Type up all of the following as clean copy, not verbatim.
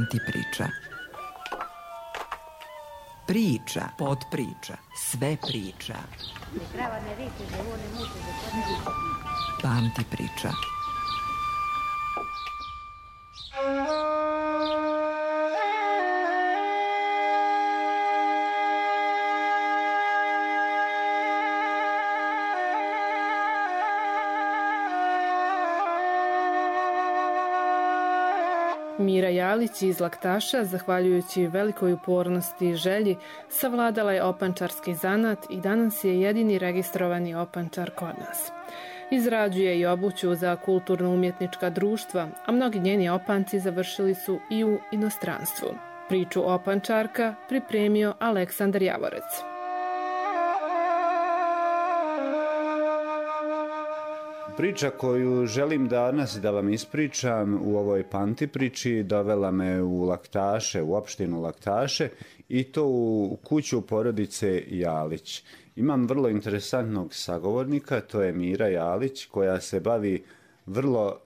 Pamti priča. Priča, podpriča, sve priča. Pamti priča. Mira Jalić iz Laktaša, zahvaljujući velikoj upornosti i želji, savladala je opančarski zanat i danas je jedini registrovani opančar kod nas. Izrađuje i obuću za kulturno-umjetnička društva, a mnogi njeni opanci završili su i u inostranstvu. Priču opančarka pripremio Aleksandar Javorec. Priča koju želim danas da vam ispričam u ovoj Pamti priči dovela me u Laktaše, u opštinu Laktaše i to u kuću porodice Jalić. Imam vrlo interesantnog sagovornika, to je Mira Jalić, koja se bavi vrlo,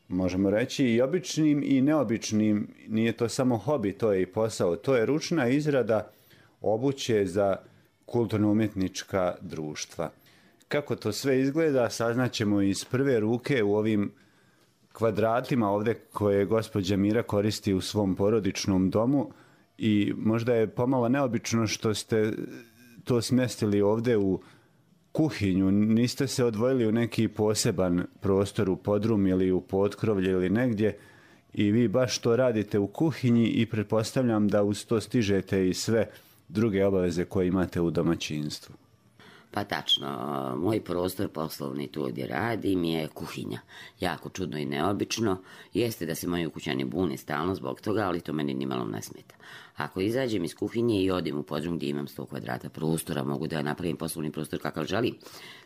možemo reći, i običnim i neobičnim, nije to samo hobi, to je i posao, to je ručna izrada obuće za kulturno-umjetnička društva. Kako to sve izgleda, saznaćemo iz prve ruke u ovim kvadratima ovdje koje gospođa Mira koristi u svom porodičnom domu i možda je pomalo neobično što ste to smjestili ovdje u kuhinju. Niste se odvojili u neki poseban prostor u podrum ili u potkrovlje ili negdje i vi baš to radite u kuhinji i pretpostavljam da uz to stižete i sve druge obaveze koje imate u domaćinstvu. Pa tačno, moj prostor poslovni tu gdje radim je kuhinja. Jako čudno i neobično. Jeste da se moji ukućani bune stalno zbog toga, ali to meni nimalo ne smeta. Ako izađem iz kuhinje i odim u podrum gdje imam 100 kvadrata prostora, mogu da napravim poslovni prostor kakav želim.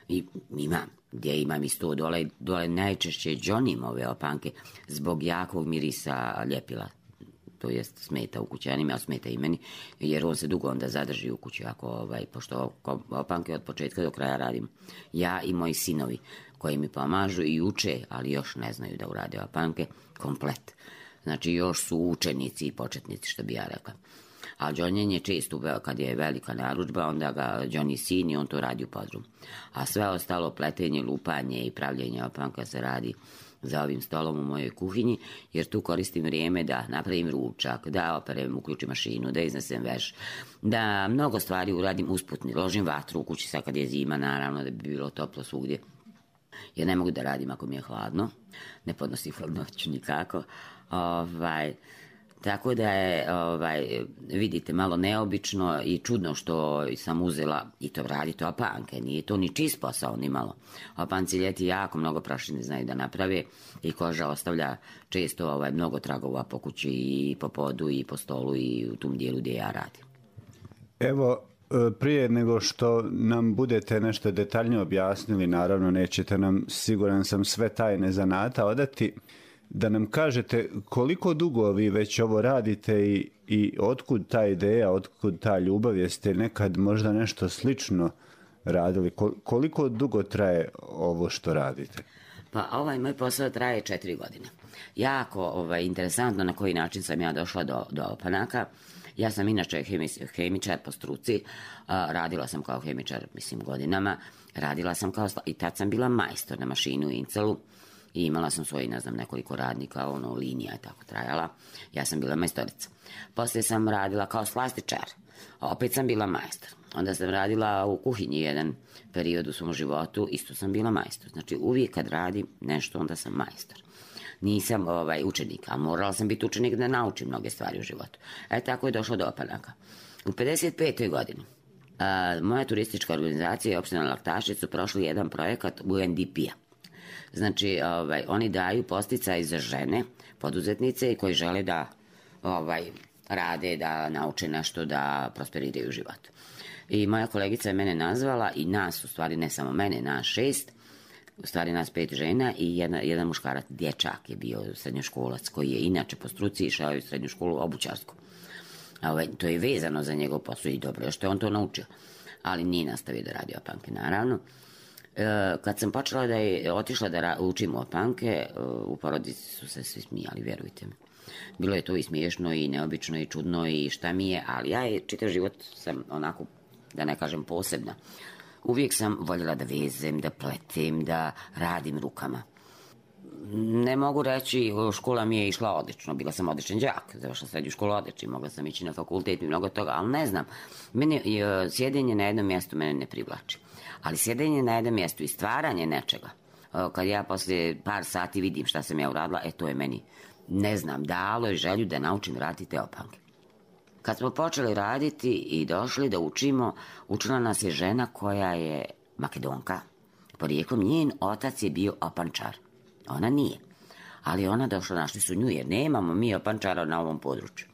I imam, gdje imam i 100 dole najčešće džonim ove opanke zbog jakog mirisa ljepila. To jest smeta u kućanima, a smeta i meni, jer on se dugo onda zadrži u kući, pošto opanke od početka do kraja radim. Ja i moji sinovi koji mi pomažu i uče, ali još ne znaju da urade opanke, komplet. Znači još su učenici i početnici, što bi ja rekla. A džonjenje često, kad je velika narudžba, onda ga džoni sin i on to radi u podrum. A sve ostalo, pletenje, lupanje i pravljenje opanka se radi za ovim stolom u mojoj kuhinji, jer tu koristim vrijeme da napravim ručak, da operem, uključim mašinu, da iznesem veš, da mnogo stvari uradim usputni, ložim vatru u kući sad kad je zima, naravno da bi bilo toplo svugdje, jer ne mogu da radim ako mi je hladno, ne podnosim hladnoću nikako, tako da je, vidite, malo neobično i čudno što sam uzela i to raditi opanke. Nije to ni čist posao, ni malo. Opanci ljeti jako mnogo prašine znaju da naprave i koža ostavlja često mnogo tragova po kući i po podu i po stolu i u tom dijelu gdje ja radim. Evo, prije nego što nam budete nešto detaljnije objasnili, naravno nećete nam, siguran sam, sve tajne zanata odati, da nam kažete koliko dugo vi već ovo radite i otkud ta ideja, otkud ta ljubav, jeste nekad možda nešto slično radili, koliko dugo traje ovo što radite? Pa ovaj moj posao traje 4 godine. Jako interesantno na koji način sam ja došla do opanaka. Ja sam inače hemičar po struci, radila sam kao hemičar, godinama, radila sam i tad sam bila majstor na mašinu u Incelu. I imala sam svoji, nekoliko radnika, linija je tako trajala. Ja sam bila majstorica. Poslije sam radila kao slastičar. Opet sam bila majstor. Onda sam radila u kuhinji jedan period u svom životu, isto sam bila majstor. Znači uvijek kad radim nešto, onda sam majstor. Nisam učenik, a morala sam biti učenik da naučim mnoge stvari u životu. Tako je došlo do opanaka. U 55. godini moja turistička organizacija i opština Laktaše su prošli jedan projekat UNDP-a. Znači, oni daju podsticaj za žene, poduzetnice koji žele da rade, da nauče nešto, da prosperiraju u životu. I moja kolegica je mene nazvala i nas, u stvari ne samo mene, nas 6, u stvari nas 5 žena i jedan muškarac, dječak je bio srednjoškolac koji je inače po struci išao u srednju školu obućarsku. To je vezano za njegov posao i dobro je što je on to naučio, ali nije nastavio da radi opanke, naravno. Kad sam počela otišla da učim opanke, u porodici su se svi smijali, vjerujte mi. Bilo je to i smiješno i neobično i čudno i šta mi je, ali ja je čitav život sam onako, da ne kažem posebna. Uvijek sam voljela da vezem, da pletem, da radim rukama. Ne mogu reći, škola mi je išla odlično, bila sam odličan đak, završila srednju školu odlično, mogla sam ići na fakultet i mnogo toga, ali ne znam, meni sjedenje na jednom mjestu mene ne privlači. Ali sjedenje na jednom mjestu i stvaranje nečega, kad ja poslije par sati vidim šta sam ja uradila, to je meni, ne znam, dalo je želju da naučim raditi te opanke. Kad smo počeli raditi i došli da učimo, učila nas je žena koja je Makedonka. Porijeklom njen otac je bio opančar. Ona nije. Ali ona došla, našli su nju, jer nemamo mi opančara na ovom području.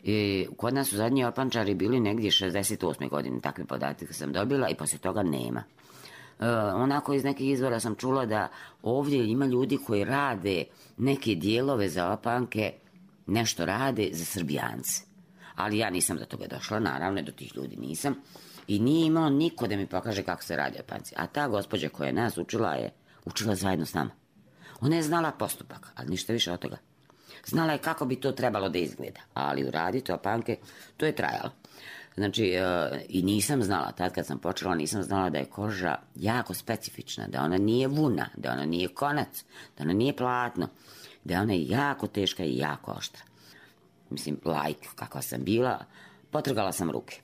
I kod nas su zadnji opančari bili negdje 68. godine, takve podatke sam dobila i poslije toga nema. Onako iz nekih izvora sam čula da ovdje ima ljudi koji rade neke dijelove za opanke, nešto rade za Srbijance. Ali ja nisam do toga došla, naravno, do tih ljudi nisam. I nije imao niko da mi pokaže kako se radi opanci. A ta gospođa koja je nas učila je učila zajedno s nama. Ona je znala postupak, ali ništa više od toga. Znala je kako bi to trebalo da izgleda, ali uraditi opanke, to je trajalo. Znači, i nisam znala, tad kad sam počela, nisam znala da je koža jako specifična, da ona nije vuna, da ona nije konac, da ona nije platno, da ona je jako teška i jako oštra. Mislim, kakva sam bila, potrgala sam ruke.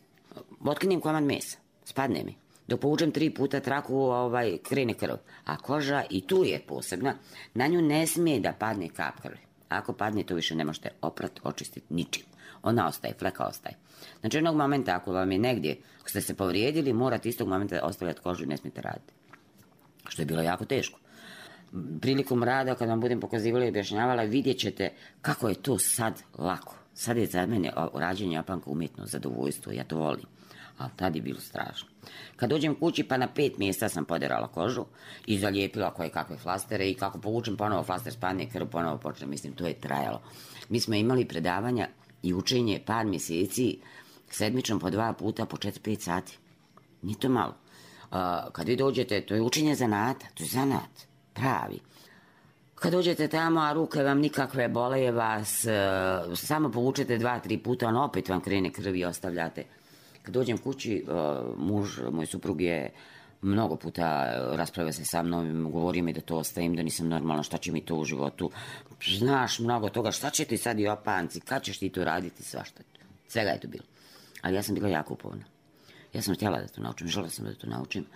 Otkinem komad mesa, spadne mi. Dok povučem 3 puta traku, krene krv. A koža, i tu je posebna, na nju ne smije da padne kap krvi. Ako padne, to više ne možete oprati, očistiti ničim. Ona ostaje, fleka ostaje. Znači, jednog momenta, ako vam je negdje, ako ste se povrijedili, morate istog momenta ostavljati kožu i ne smijete raditi. Što je bilo jako teško. Prilikom rada, kad vam budem pokazivala i objašnjavala, vidjet ćete kako je to sad lako. Sad je za mene rađenje opanka umjetno zadovoljstvo, ja to volim. Ali tad je bilo strašno. Kad dođem kući, pa na 5 mjesta sam poderala kožu i zalijepila koje kakve flastere i kako povučem ponovo flaster, spadne krv, ponovo počne, mislim, to je trajalo. Mi smo imali predavanja i učenje par mjeseci, sedmično po 2 puta po 4-5 sati. Nije to malo. Kad vi dođete, to je učenje zanata, to je zanat, pravi. Kad dođete tamo, a ruke vam nikakve, boleje vas, samo povučete 2-3 puta, on opet vam krene krv i ostavljate. Kad dođem kući, moj suprug je mnogo puta raspravio se sa mnom, govorio mi da to ostavim, da nisam normalna, šta će mi to u životu. Znaš mnogo toga, šta će ti sad i opanci, kad ćeš ti to raditi, svašta. Svega je to bilo. Ali ja sam bila jako upovna. Ja sam htjela da to naučim, želela sam da to naučim.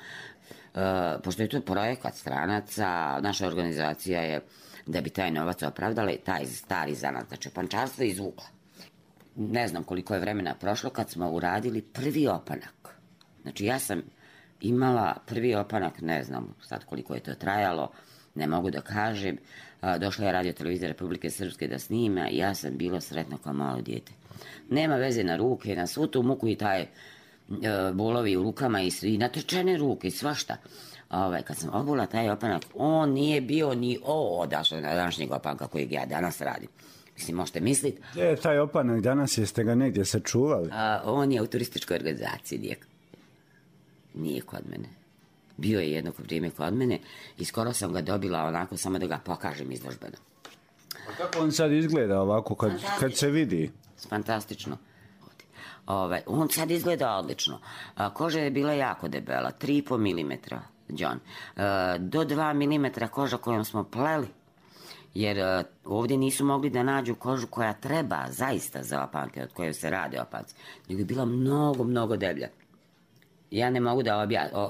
Pošto je to projekat stranaca, naša organizacija je, da bi taj novac opravdala, taj stari zanat, znači opančarstvo izvukla. Ne znam koliko je vremena prošlo kad smo uradili prvi opanak. Znači ja sam imala prvi opanak, ne znam sad koliko je to trajalo, ne mogu da kažem. Došla je Radio Televizija Republike Srpske da snima i ja sam bila sretna kao malo dijete. Nema veze na ruke, na svu tu muku i taj bolovi u rukama i natečene ruke i svašta. Kad sam obula taj opanak, on nije bio ni od današnjeg opanka kojeg ja danas radim. Mislim, možete misliti. Gdje je taj opanak danas, jeste ga negdje sačuvali? On je u turističkoj organizaciji, nije kod mene. Bio je jedno vrijeme kod mene i skoro sam ga dobila onako samo da ga pokažem izložbeno. A kako on sad izgleda ovako kad se vidi? Fantastično. On sad izgleda odlično. Koža je bila jako debela, 3,5 mm, John. Do 2 mm koža kojom smo pleli. Jer ovdje nisu mogli da nađu kožu koja treba zaista za opanke, od koje se rade opanci. Nego je bila mnogo, mnogo deblja. Ja ne mogu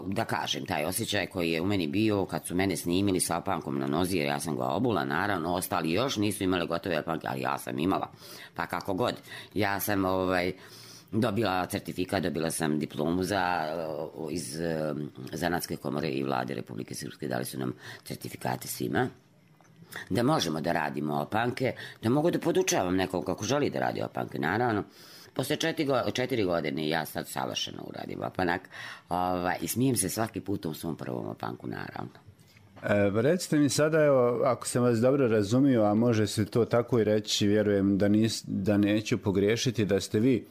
da kažem taj osjećaj koji je u meni bio kad su mene snimili sa opankom na nozi, jer ja sam ga obula, naravno, ostali još nisu imali gotove opanke, ali ja sam imala. Pa kako god. Ja sam dobila certifikat, dobila sam diplomu iz Zanatske komore i vlade Republike Srpske, dali su nam certifikate svima. Da možemo da radimo opanke, da mogu da podučavam nekog kako želi da radi opanke, naravno. Posle 4 godine ja sad savršeno uradim opanak i smijem se svaki put u svom prvom opanku, naravno. Recite mi sada, evo, ako sam vas dobro razumio, a može se to tako i reći, vjerujem da neću pogriješiti, da ste vi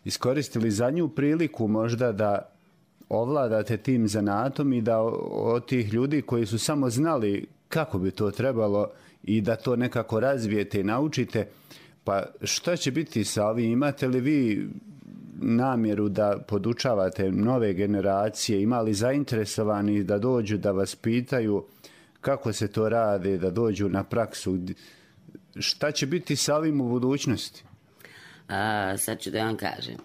iskoristili zadnju priliku možda da ovladate tim zanatom i da od tih ljudi koji su samo znali kako bi to trebalo i da to nekako razvijete i naučite. Pa šta će biti sa ovim? Imate li vi namjeru da podučavate nove generacije? Ima li zainteresovani da dođu da vas pitaju kako se to rade, da dođu na praksu? Šta će biti sa ovim u budućnosti? Sad ću da vam kažem.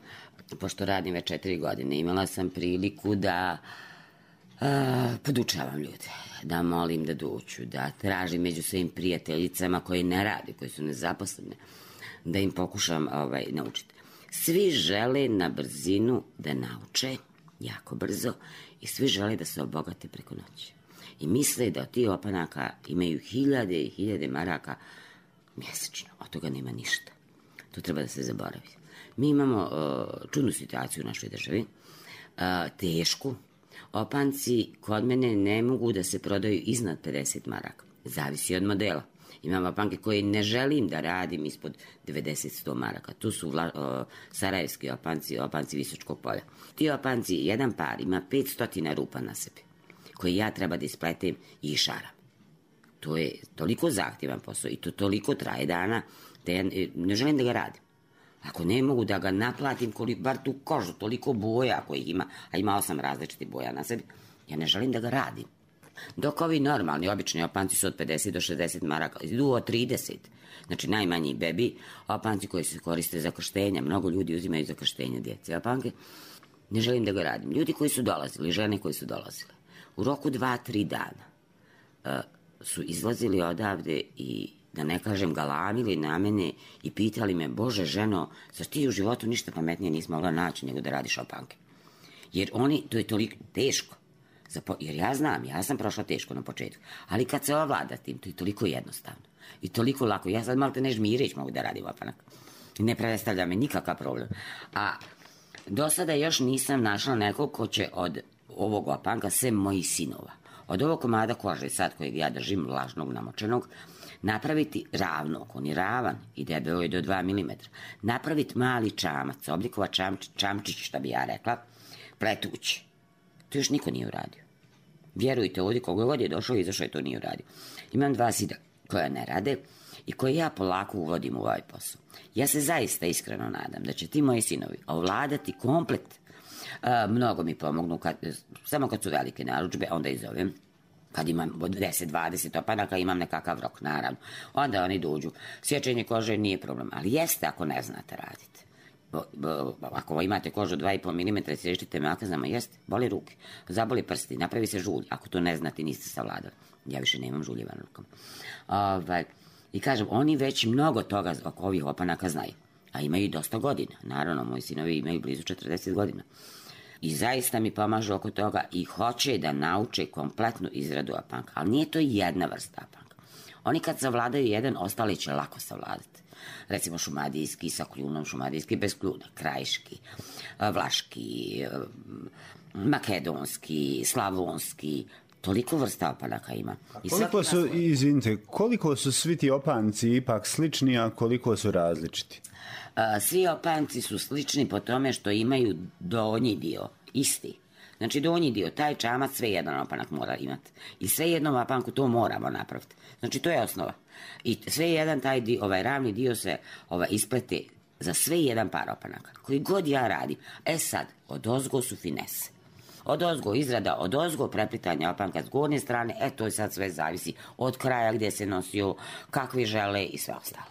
Pošto radim već 4 godine, imala sam priliku da podučavam ljude, da molim da dođu, da tražim među svojim prijateljicama koje ne rade, koje su nezaposlene, da im pokušam naučiti. Svi žele na brzinu da nauče, jako brzo, i svi žele da se obogate preko noći. I misle da od tih opanaka imaju 1000 i 1000 maraka mjesečno. Od toga nema ništa. To treba da se zaboravi. Mi imamo čudnu situaciju u našoj državi, tešku. Opanci kod mene ne mogu da se prodaju iznad 50 maraka. Zavisi od modela. Imam opanke koje ne želim da radim ispod 90-100 maraka. Tu su sarajevski opanci, opanci Visočkog polja. Ti opanci, jedan par ima 500 rupa na sebi, koje ja treba da ispletem i išaram. To je toliko zahtjevan posao i to toliko traje dana da ja ne želim da ga radim. Ako ne mogu da ga naplatim, koliko, bar tu kožu, toliko boja kojih ima, a ima 8 različitih boja na sebi, ja ne želim da ga radim. Dok ovi normalni, obični opanci su od 50 do 60 maraka, idu od 30. Znači najmanji bebi, opanci koji se koriste za krštenja, mnogo ljudi uzimaju za krštenja djece opanke, ne želim da ga radim. Ljudi koji su dolazili, žene koji su dolazile, u roku 2-3 dana su izlazili odavde i, da ne kažem, galamili na mene i pitali me, Bože ženo, zar ti u životu ništa pametnije nisi mogla naći nego da radiš opanke? Jer oni, to je toliko teško. Jer ja znam, ja sam prošla teško na početku, ali kad se ovlada tim, to je toliko jednostavno i toliko lako. Ja sad malo te ne žmireć mogu da radim opanak. Ne predstavlja me nikakav problem. A do sada još nisam našla nekog ko će od ovog opanka, sem mojih sinova, od ovog komada kože sad kojeg ja držim, vlažnog, namočenog, napraviti ravnog, on je ravan i debeo je do 2 mm, napraviti mali čamac, oblikovat čamčić, šta bi ja rekla, pletući. To još niko nije uradio. Vjerujte, ovdje koga god je došao i izašao, to nije uradio. Imam 2 sina koja ne rade i koje ja polako uvodim u ovaj posao. Ja se zaista iskreno nadam da će ti moji sinovi ovladati komplet. Mnogo mi pomognu, samo kad su velike narudžbe, onda ih zovem. Kad imam 10-20 opanaka, imam nekakav rok, naravno. Onda oni dođu. Sječenje kože nije problem, ali jeste ako ne znate raditi. Ako imate kožu 2,5 mm i sještite melanzama, jeste, boli ruke, zaboli prsti, napravi se žulj. Ako to ne znate, niste savladali. Ja više nemam žuljeva na rukama. I kažem, oni već mnogo toga oko ovih opanaka znaju, a imaju dosta godina. Naravno, moji sinovi imaju blizu 40 godina. I zaista mi pomažu oko toga i hoće da nauče kompletnu izradu opanka. Ali nije to jedna vrsta opanka. Oni kad savladaju jedan, ostali će lako savladati. Recimo šumadijski sa kljunom, šumadijski bez kljuna, krajiški, vlaški, makedonski, slavonski, toliko vrsta opanaka ima. Koliko su svi ti opanci ipak slični, a koliko su različiti? Svi opanci su slični po tome što imaju donji dio, isti. Znači donji dio, taj čamac sve jedan opanak mora imati. I sve jednom opanku to moramo napraviti. Znači to je osnova. I sve jedan taj dio, ovaj ravni dio se isplete za sve jedan par opanaka. Koji god ja radim. Sad, odozgo su finese. Odozgo izrada, odozgo preplitanja opanka s gornje strane, to sad sve zavisi od kraja gdje se nosio, kakvi žele i sve ostalo.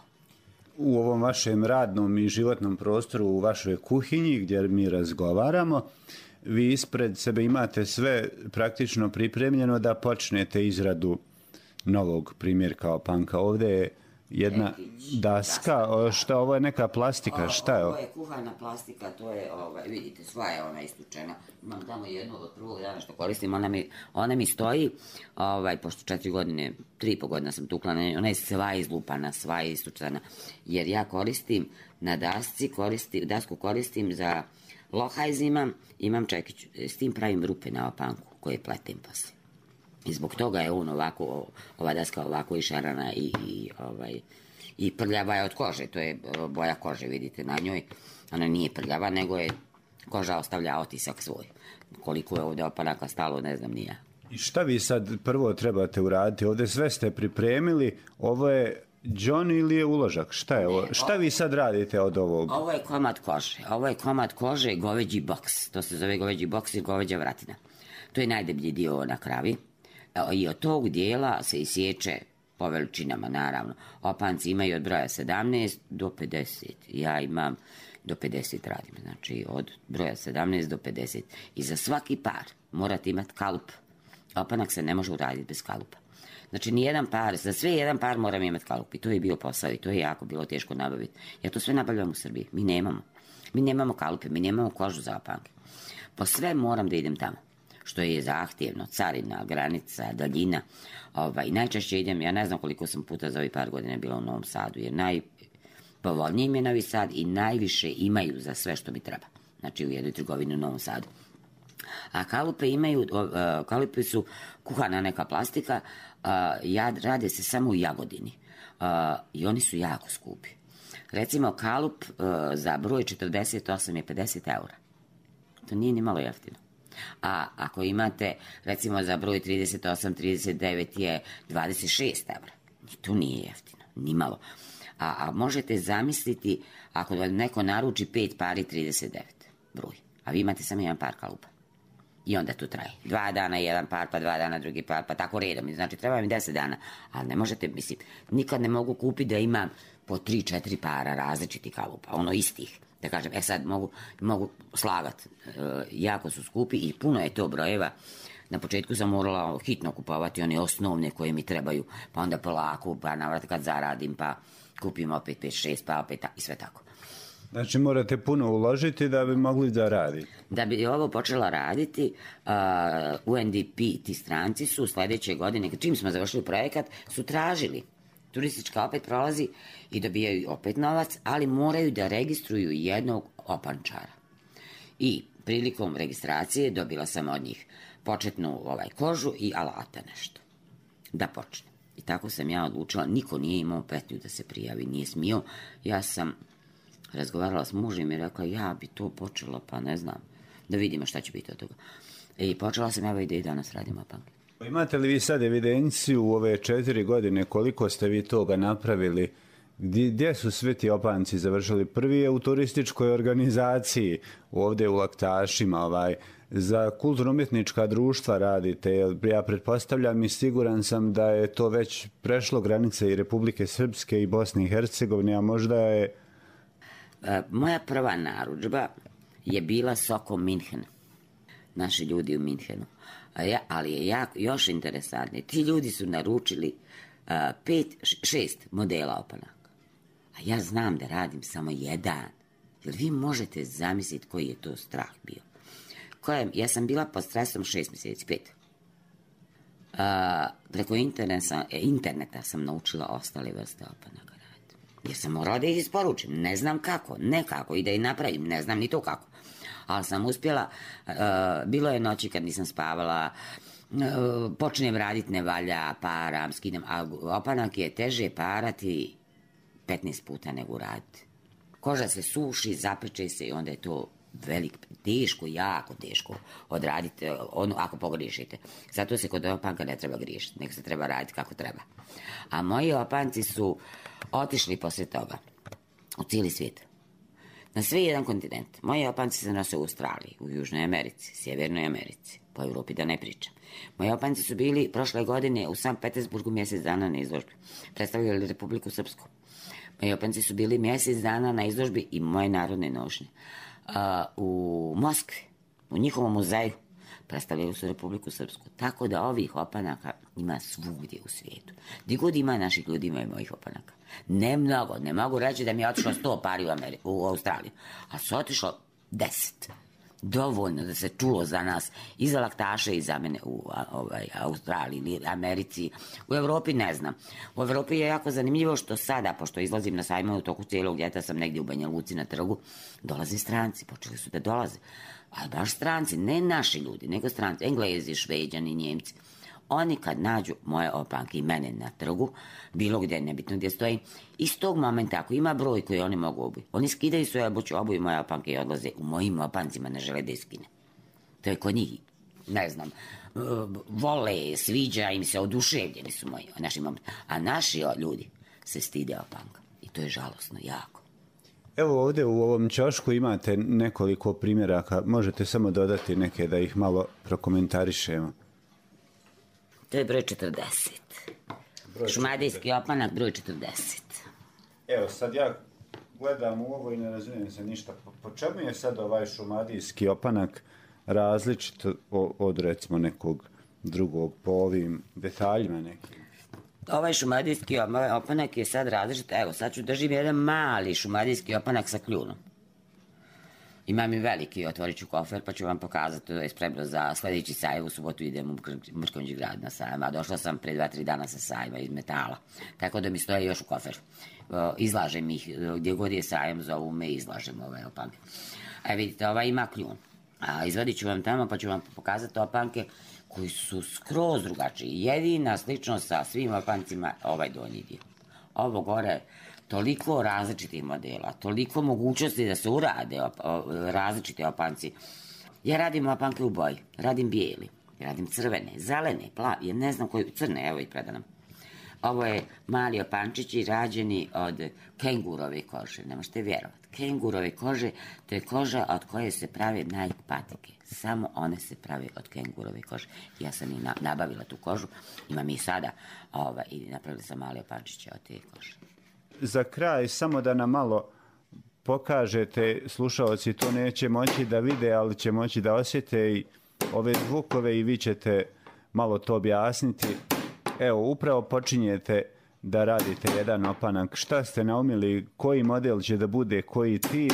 U ovom vašem radnom i životnom prostoru, u vašoj kuhinji gdje mi razgovaramo, vi ispred sebe imate sve praktično pripremljeno da počnete izradu novog primjerka opanka. Ovdje je jedna daska, šta ovo je neka plastika, šta je ovo? Ovo je kuhana plastika, to je, vidite, sva je ona istučena. Imam tamo jednu od prvog dana što koristim, ona mi stoji, pošto 4 godine, 3,5 godina sam tukla na njoj, ona je sva izlupana, sva je istučena, jer ja koristim na dasku koristim za lohajz imam čekić, s tim pravim rupe na opanku koje pletem poslije. I zbog toga je on ovako, ova daska ovako išarana i prljava je od kože, to je boja kože, vidite na njoj. Ona nije prljava, nego je koža ostavlja otisak svoj. Koliko je ovdje opanaka stalo, ne znam ni ja. I šta vi sad prvo trebate uraditi? Ovdje sve ste pripremili, ovo je džon ili je uložak? Šta je ovo? Šta vi sad radite od ovog? Ovo je komad kože. Ovo je komad kože, goveđi boks. To se zove goveđi boks i goveđa vratina. To je najdeblji dio na kravi. I od tog dijela se isječe po veličinama, naravno. Opanci imaju od broja 17 do 50. Ja imam do 50 radim. Znači od broja 17 do 50. I za svaki par morate imati kalup. Opanak se ne može uraditi bez kalupa. Znači, nijedan par, za sve jedan par moram imati kalup. I to je bio posao i to je jako bilo teško nabaviti. Ja to sve nabavljam u Srbiji. Mi nemamo. Mi nemamo kalupe, mi nemamo kožu za opanke. Po sve moram da idem tamo. Što je zahtjevno, carina, granica, daljina. Najčešće idem, ja ne znam koliko sam puta za ovih par godina bila u Novom Sadu, jer najpovoljniji mi je Novi Sad i najviše imaju za sve što mi treba. Znači, u jednoj trgovini u Novom Sadu. A kalupe su kuhana neka plastika, rade se samo u Jagodini i oni su jako skupi. Recimo, kalup za broj 48 je 50 eura. To nije ni malo jeftino. A ako imate, recimo, za broj 38, 39 je 26 eura. To nije jeftino, ni malo. A možete zamisliti ako neko naruči 5 pari 39 broj, a vi imate samo jedan par kalupa. I onda tu traje. 2 dana jedan par, pa 2 dana drugi par, pa tako redom. Znači, treba mi 10 dana. Ali ne možete, mislim, nikad ne mogu kupiti da imam po 3-4 para različitih kalupa, istih. Da kažem, sad mogu slagat. Jako su skupi i puno je to brojeva. Na početku sam morala hitno kupovati one osnovne koje mi trebaju, pa onda polako, pa navrat kad zaradim, pa kupim opet 5-6, pa opet i sve tako. Znači morate puno uložiti da bi mogli da raditi. Da bi ovo počela raditi, UNDP, ti stranci su sljedeće godine, čim smo završili projekat, su tražili. Turistička opet prolazi i dobijaju opet novac, ali moraju da registruju jednog opančara. I prilikom registracije dobila sam od njih početnu kožu i alata nešto. Da počne. I tako sam ja odlučila, niko nije imao petlju da se prijavi, nije smio. Ja sam razgovarala s mužem i rekla, ja bi to počela, pa ne znam, da vidimo šta će biti od toga. I počela sam, evo i danas radim opanke. Imate li vi sad evidenciju u ove 4 godine koliko ste vi toga napravili? Gdje su svi ti opanci završili? Prvi je u turističkoj organizaciji, ovdje u Laktašima, za kulturno-umjetnička društva radite. Ja pretpostavljam i siguran sam da je to već prešlo granice i Republike Srpske i Bosne i Hercegovine, a možda je... Moja prva narudžba je bila Soko Minhen. Naši ljudi u Minhenu. Ali je još interesantnije. Ti ljudi su naručili 5-6 modela opanaka. A ja znam da radim samo jedan. Jer vi možete zamisliti koji je to strah bio. Ja sam bila pod stresom 6 mjeseci, 5. Preko interneta sam naučila ostale vrste opanaka raditi. Jer sam morala da ih isporučim. Ne znam kako, nekako i da ih napravim. Ne znam ni to kako. Ali sam uspjela, bilo je noći kad nisam spavala, počnem raditi, ne valja, param, skidam, a opanak je teže parati 15 puta nego raditi. Koža se suši, zapeče se i onda je to teško, jako teško odraditi, ako pogriješite. Zato se kod opanka ne treba griješiti, nego se treba raditi kako treba. A moji opanci su otišli poslije toga u cijeli svijet. Na sve jedan kontinent. Moji opanci se nose u Australiji, u Južnoj Americi, Sjevernoj Americi, po Europi da ne pričam. Moji opanci su bili prošle godine u Sankt Petersburgu mjesec dana na izložbi. Predstavljali Republiku Srpsku. Moji opanci su bili mjesec dana na izložbi i moje narodne nošnje. U Moskvi, u njihovom muzeju, predstavljaju su Republiku Srpsku. Tako da ovih opanaka ima svugdje u svijetu. Gdje god ima naših ljudi, ima i mojih opanaka. Ne mnogo, ne mogu reći da mi je otišlo 100 pari u Australiju, a su otišlo 10. Dovoljno da se čulo za nas i za Laktaše i za mene u Australiji ili Americi. U Europi ne znam. U Europi je jako zanimljivo što sada, pošto izlazim na sajmove u toku cijelog ljeta, sam negdje u Banja Luci na trgu, dolaze stranci, počeli su da dolaze. Ali baš stranci, ne naši ljudi, nego stranci, Englezi, Šveđani, Njemci. Oni kad nađu moje opanke i mene na trgu, bilo gdje, nebitno gdje stojim, iz tog momenta, ako ima broj koji oni mogu obući, oni skidaju svoje obuju moje opanke i odlaze u mojim opancima, ne žele da iskine. To je kod njih, ne znam, vole, sviđa im se, oduševljeni su naši momci. A naši ljudi se stide opanka. I to je žalosno, jako. Evo ovdje u ovom ćošku imate nekoliko primjeraka. Možete samo dodati neke da ih malo prokomentarišemo. To je broj 40. Šumadijski opanak, broj 40. Evo, sad ja gledam u ovo i ne razumijem se ništa. Po čemu je sad ovaj šumadijski opanak različit od recimo nekog drugog po ovim detaljima nekim? Ovaj šumadijski opanak je sad različit. Evo, sad ću držim jedan mali šumadijski opanak sa kljunom. Imam i veliki, otvorit ću kofer pa ću vam pokazati, to je spremno za sljedeći sajam. U subotu idem u Mrkonjić grad na sajam, a došla sam pre 2-3 dana sa sajma iz metala. Tako da mi stoje još u koferu. Izlažem ih, gdje god je sajam, zovu me i izlažem ove opanke. A vidite, ovaj ima kljun. A izvadit ću vam tamo pa ću vam pokazati opanke koji su skroz drugačiji. Jedina sličnost sa svim opancima ovaj donji dio. Ovo gore, toliko različitih modela, toliko mogućnosti da se urade različite opanci. Ja radim opanke u boji, radim bijeli, radim crvene, zelene, plavi, ne znam koji, crne, evo i predanam. Ovo je mali opančići rađeni od kengurove kože, ne možete vjerovati. Kengurove kože, to je koža od koje se prave Nike patike. Samo one se prave od kengurove kože. Ja sam i nabavila tu kožu, imam i sada i napravila sam mali opančiće od te kože. Za kraj, samo da nam malo pokažete, slušalci to neće moći da vide, ali će moći da osjete i ove zvukove i vi ćete malo to objasniti. Evo, upravo počinjete da radite jedan opanak. Šta ste naumili, koji model će da bude, koji tip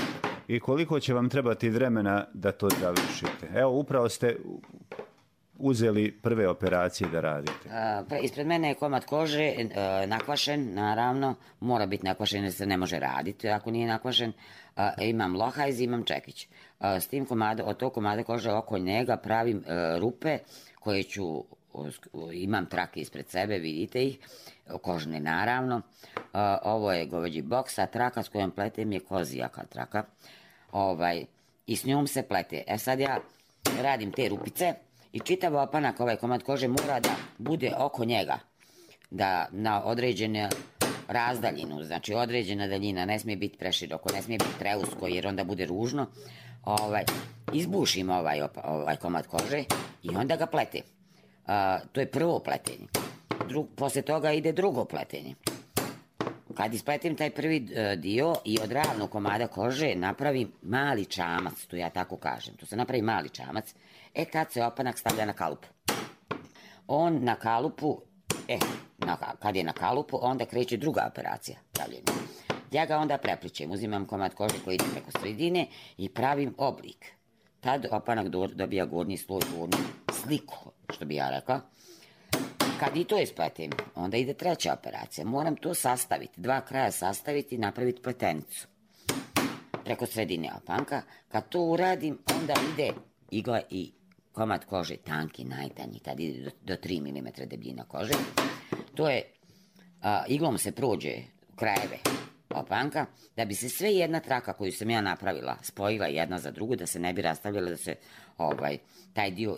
i koliko će vam trebati vremena da to završite? Evo, upravo ste uzeli prve operacije da radite. Ispred mene je komad kože, nakvašen, naravno, mora biti nakvašen jer se ne može raditi ako nije nakvašen. Imam lohajz, imam čekić. S tim od tog komada kože oko njega pravim rupe koje ću, imam trake ispred sebe, vidite ih, kožne naravno. Ovo je goveđi boks, a traka s kojom pletem je kozijaka traka. I s njom se plete. Sad ja radim te rupice i čitav opanak, ovaj komad kože mora da bude oko njega, da na određenu razdaljinu, znači određena daljina, ne smije biti preširoko, ne smije biti preusko jer onda bude ružno. Izbušim ovaj komad kože i onda ga pletem. To je prvo pletenje. Posle toga ide drugo pletenje. Kad ispletim taj prvi dio i od ravnog komada kože napravim mali čamac, to ja tako kažem, to se napravi mali čamac, tad se opanak stavlja na kalupu. On na kalupu, kad je na kalupu, onda kreće druga operacija pravljenja. Ja ga onda prepličem, uzimam komad kože koji ide preko sredine i pravim oblik. Tad opanak dobija gornji sloj, gornju sliku, što bi ja rekao. Kad i to ispletim, onda ide treća operacija. Moram to sastaviti, dva kraja sastaviti i napraviti pletenicu preko sredine opanka. Kad to uradim, onda ide igla i komad kože tanki, najtanji, tad ide do 3 mm debljina kože. To je, iglom se prođe krajeve opanka, da bi se sve jedna traka koju sam ja napravila spojila jedna za drugu, da se ne bi rastavljala, da se taj dio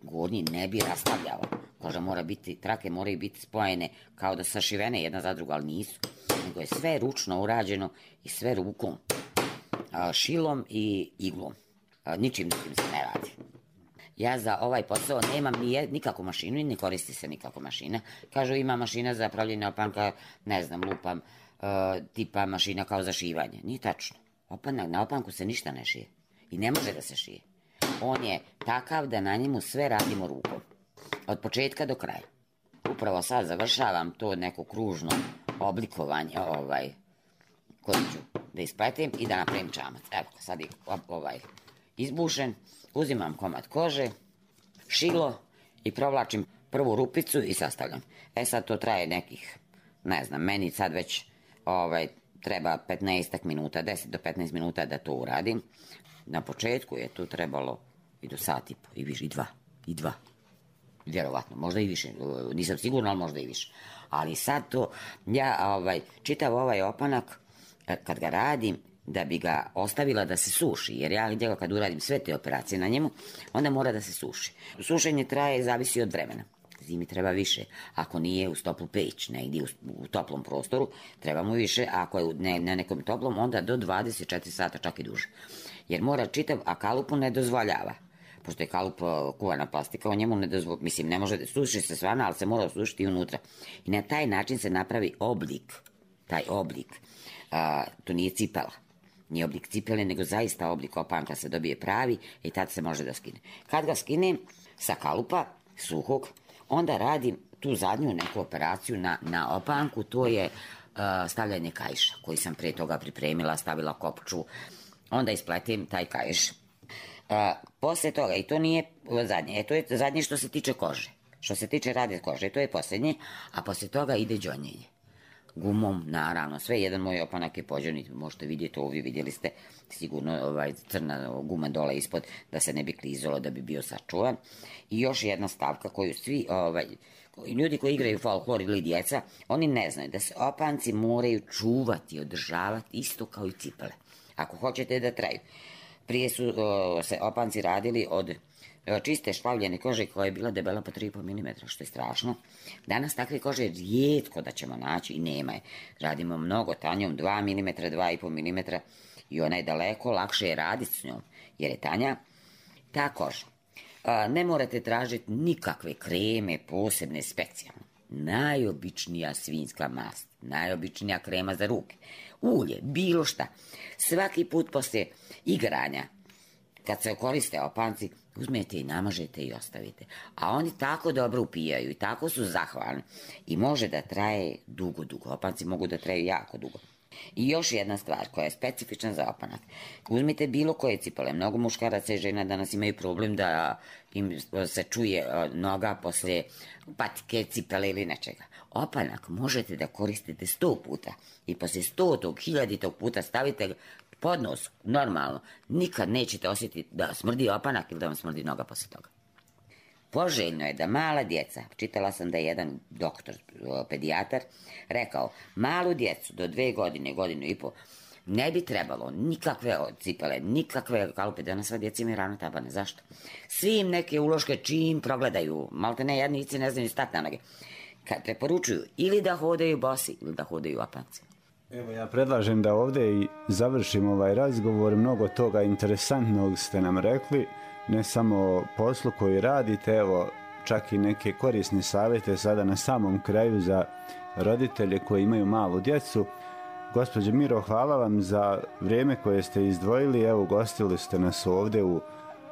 gornji ne bi rastavljao. Koža mora biti, trake moraju biti spojene kao da sašivene jedna za drugu, ali nisu. Nego je sve ručno urađeno i sve rukom, šilom i iglom. Ničim drugim se ne radi. Ja za ovaj posao nemam nikakvu mašinu i ne koristi se nikakva mašina. Kažu ima mašina za pravljenje opanka, ne znam, lupam, tipa mašina kao za šivanje. Nije tačno. Na opanku se ništa ne šije. I ne može da se šije. On je takav da na njemu sve radimo rukom. Od početka do kraja. Upravo sad završavam to neko kružno oblikovanje koje ću da ispletim i da napravim čamac. Evo, sad je izbušen. Uzimam komad kože, šilo i provlačim prvu rupicu i sastavljam. Sad to traje nekih, ne znam, meni sad već treba 15 minuta, 10 do 15 minuta da to uradim. Na početku je tu trebalo i do sat i po, i više, i dva. Vjerovatno, možda i više, nisam sigurna, ali možda i više. Ali sad to, ja čitav ovaj opanak, kad ga radim, da bi ga ostavila da se suši, jer ja njega kad uradim sve te operacije na njemu, onda mora da se suši. Sušenje traje, zavisi od vremena. Zimi treba više. Ako nije uz toplu peć, negdje u toplom prostoru, treba mu više, a ako je na nekom toplom, onda do 24 sata, čak i duže. Jer mora čitav, a kalupu ne dozvoljava. Pošto je kalup kuvana plastika, o njemu ne dozvoljava, mislim, ne može da suši se svana, ali se mora osušiti unutra. I na taj način se napravi oblik, taj oblik. To nije cipela. Nije oblik cipele, nego zaista oblik opanka se dobije pravi i tad se može da skine. Kad ga skinem sa kalupa, suhog, onda radim tu zadnju neku operaciju na opanku, to je stavljanje kaiša, koji sam pre toga pripremila, stavila kopču, onda ispletim taj kaiš. Posle toga, i to nije zadnje, to je zadnje što se tiče kože, što se tiče rade kože, to je posljednje, a posle toga ide đonjenje. Gumom, naravno, sve jedan moj opanak je pođen, možete vidjeti ovdje, vidjeli ste sigurno crna guma dole ispod, da se ne bi klizalo, da bi bio sačuvan. I još jedna stavka koju svi ljudi koji igraju folklor ili djeca, oni ne znaju da se opanci moraju čuvati, održavati isto kao i cipele, ako hoćete da traju. Prije su se opanci radili od čiste špavljene kože koja je bila debela po 3,5 mm, što je strašno. Danas takve kože je rijetko da ćemo naći i nema je. Radimo mnogo tanjom, 2 mm, 2,5 mm i ona je daleko lakše je raditi s njom, jer je tanja ta koža. Ne morate tražiti nikakve kreme, posebne, specijalne. Najobičnija svinjska mast, najobičnija krema za ruke, ulje, bilo šta. Svaki put poslije igranja, kad se koriste opanci, uzmete i namažete i ostavite. A oni tako dobro upijaju i tako su zahvalni. I može da traje dugo. Opanci mogu da traju jako dugo. I još jedna stvar koja je specifična za opanak. Uzmite bilo koje cipele. Mnogo muškaraca i žena danas imaju problem da im se čuje noga posle patike, cipele ili nečega. Opanak možete da koristite 100 puta i posle 100. 1000. puta stavite pod nos, normalno. Nikad nećete osjetiti da smrdi opanak ili da vam smrdi noga posle toga. Poželjno je da mala djeca, čitala sam da je jedan doktor, pedijatar, rekao, malu djecu do 2 godine, 1,5 godine, ne bi trebalo nikakve cipele, nikakve kalupe, danas sva djeca imaju rano tabane. Zašto? Svi im neke uloške čim progledaju, malte ne, jadnici ne znaju stati na noge. Kad preporučuju ili da hodaju bosi ili da hodaju opanci. Evo, ja predlažem da ovdje i završimo ovaj razgovor. Mnogo toga interesantnog ste nam rekli, ne samo o poslu koji radite, evo, čak i neke korisne savjete sada na samom kraju za roditelje koji imaju malu djecu. Gospođo Miro, hvala vam za vrijeme koje ste izdvojili. Evo, gostili ste nas ovdje u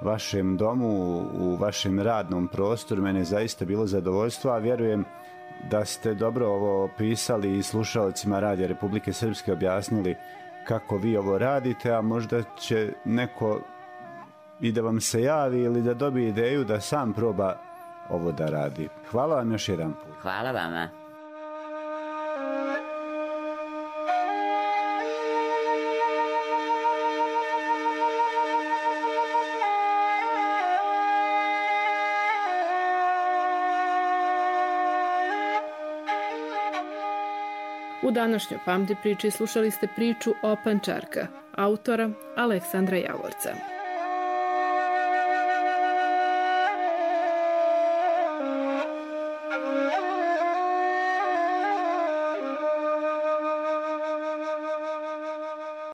vašem domu, u vašem radnom prostoru. Mene je zaista bilo zadovoljstvo, a vjerujem da ste dobro ovo opisali i slušalcima Radija Republike Srpske objasnili kako vi ovo radite, a možda će neko i da vam se javi ili da dobije ideju da sam proba ovo da radi. Hvala vam još jedan put. Hvala vama. U današnjoj Pamti priči slušali ste priču Opančarka, autora Aleksandra Javorca.